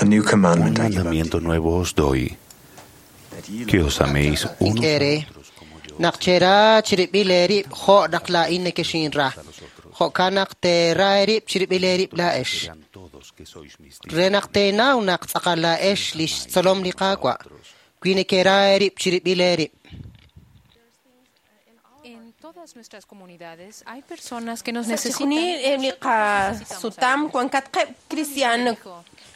A new Un commandment I give unto mandamiento you, nuevo os doy, that ye que love os améis unos a Ink'e otros como yo naq chera chirib'il eerib' jo' naq laa'in nekexinra. Jo'kan naq teera eerib' chirib'il eerib' laa'ex. Verán todos que sois mis Re naq teenaw naq tz'aqal laa'ex li xtzolom li Qaawa'. Wi nekera eerib' chirib'il eerib'. En todas nuestras comunidades hay personas que nos Sa' necesitan. chixjunil eb' li qasutam wankatqeb' kristiaan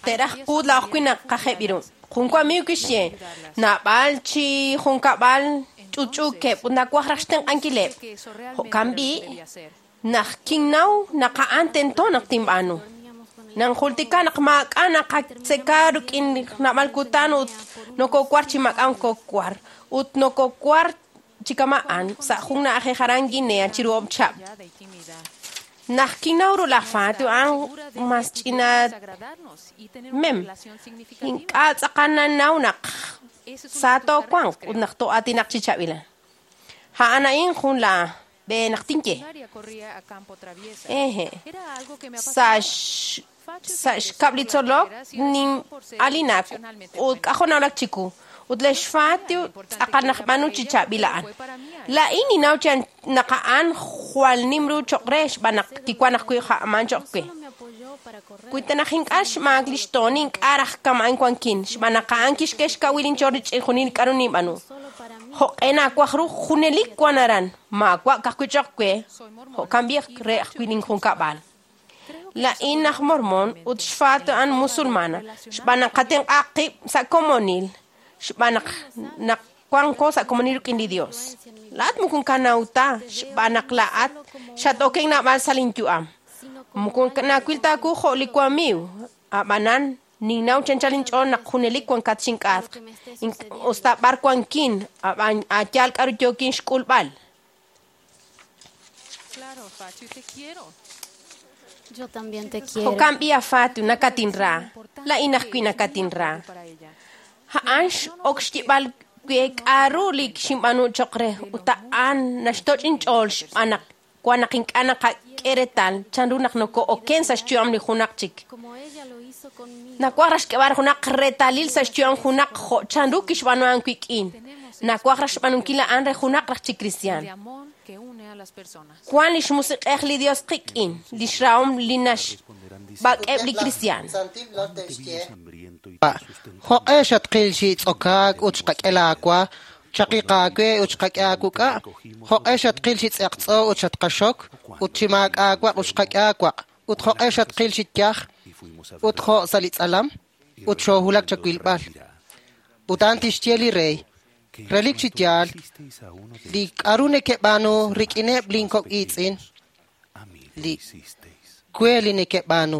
te'raj quud laa'oj wi' naq qajeb' iru. Jun wamiiw kixye, naab'al chi junkab'al ch'uch'uukeb' ut nawaj raj xtenq'ankileb'. Jo'kan b'i' naq kinnaw naq a'an tento naq tinb'aanu. Nanjultika naq maak'a' naqatzeka rik'in naab'al kutan ut nokokwar chi maak'a' nkokwar ut nokokwar chi kama'an sa' jun na'ajej aran Guinea chiru oob' chihab'. Callada y tímida. Naq kinnaw ru laj Fatou a'an mas ch'ina Agradarnos y tener una mem. relación significativa. Ink'a' tz'aqal nanaw naq Ese es uno sa de tus toowanq carreras, ut creo. naq too'aatinaq chi chab'ila. A'an a'in jun la b'e naq tinye. Secundaria corría a campo traviesa. Eje. Era algo que me Sa' apasionaba. x- Facho se sa' interesó xkab' por li las tzolok carreras y resultó nin por ser alinak excepcionalmente ut bueno. k'ajo' nawlak chiku. Ut lix Fatou tz'aqal naq b'aanu chi chaab'il a'an. Laa'in ninnaw chi naq a'an jwal nim ru choq' re xb'aan naq kiwan ajwi' ja'aman choq' we. Wi ta naq ink'a' xmaak lix toon ink'a' raj kama'an wankin xb'aan naq a'an kixk'e xkawil inch'ool rich'in junil k'a'ru ninb'aanu. Jo'q'e naawaj ru junelik wan aran maawa' ka'ajwi' choq' we jo'kan b'i re ajwi' ninjunkab'al. Laa'in aj mormón ut xFatou a'an musulmana xb'aan naq qatenq'a qib' sa' komonil xb'aan naq naq wanko sa' komonil rik'in li Dios. Laa'at moko kanaw ta xb'aan naq laa'at xat-oken naab'al sa' linyu'am. Moko nawil ta aawu jo' li wamiiw. Ab'anan ninnaw chanchal inch'ool naq junelik wankat xink'atq. Usta b'ar wankin ab'an aayaal k'a'ru yookin xk'ulb'al. Claro, Facho, te quiero. Yo también te quiero. Jo'kan b'i a Fatou nakatinra. Laa'in ajwi' nakatinra. Para ella. A'an x'ok xyib'al we k'a'ru li xinb'aanu choq' re ut a'an naxtoch' inch'ool xb'aan naq wan naq ink'a' naqak'e reetal chanru naq noko'oken sa' xyu'am li junaq chik. Como ella lo hizo conmigo. Nawaj raj xk'eb'al junaq reetalil sa' xyu'am junaq jo' chanru kixb'aanu a'an wik'in. Nawaj raj xb'aanunkil a'an re junaq raj chi kristiaan. De amor que une a las personas. Wan lix musiq'ej li Dios qik'in, lix rahom li naxb'ak'eb' li kristiaan. hambriento y te sustentamos. Jo'q'e xatqil chi tz'okaak ut xqak'e laawa, chaqiq aawe ut xqak'e aawuk'a'. Jo'q'e xatqil chi tz'eqtz'o ut xatqaxok, ut chi maak'aawaq ut xqak'e aawaq. Ut jo'q'e xatqil chi yaj Y fuimos a ut ver jo' sa' li tz'alam, y ut xoohulak respondiendo chawilb'al. dirá, Ut a'an tixye li rey, que relik chi cuanto yaal, hicisteis a uno de li estos k'a'ru nekeb'aanu mis rik'ineb' hermanos lin más kok' iitz'in, pequeños, a mí lo li hicisteis. we li nekeb'aanu.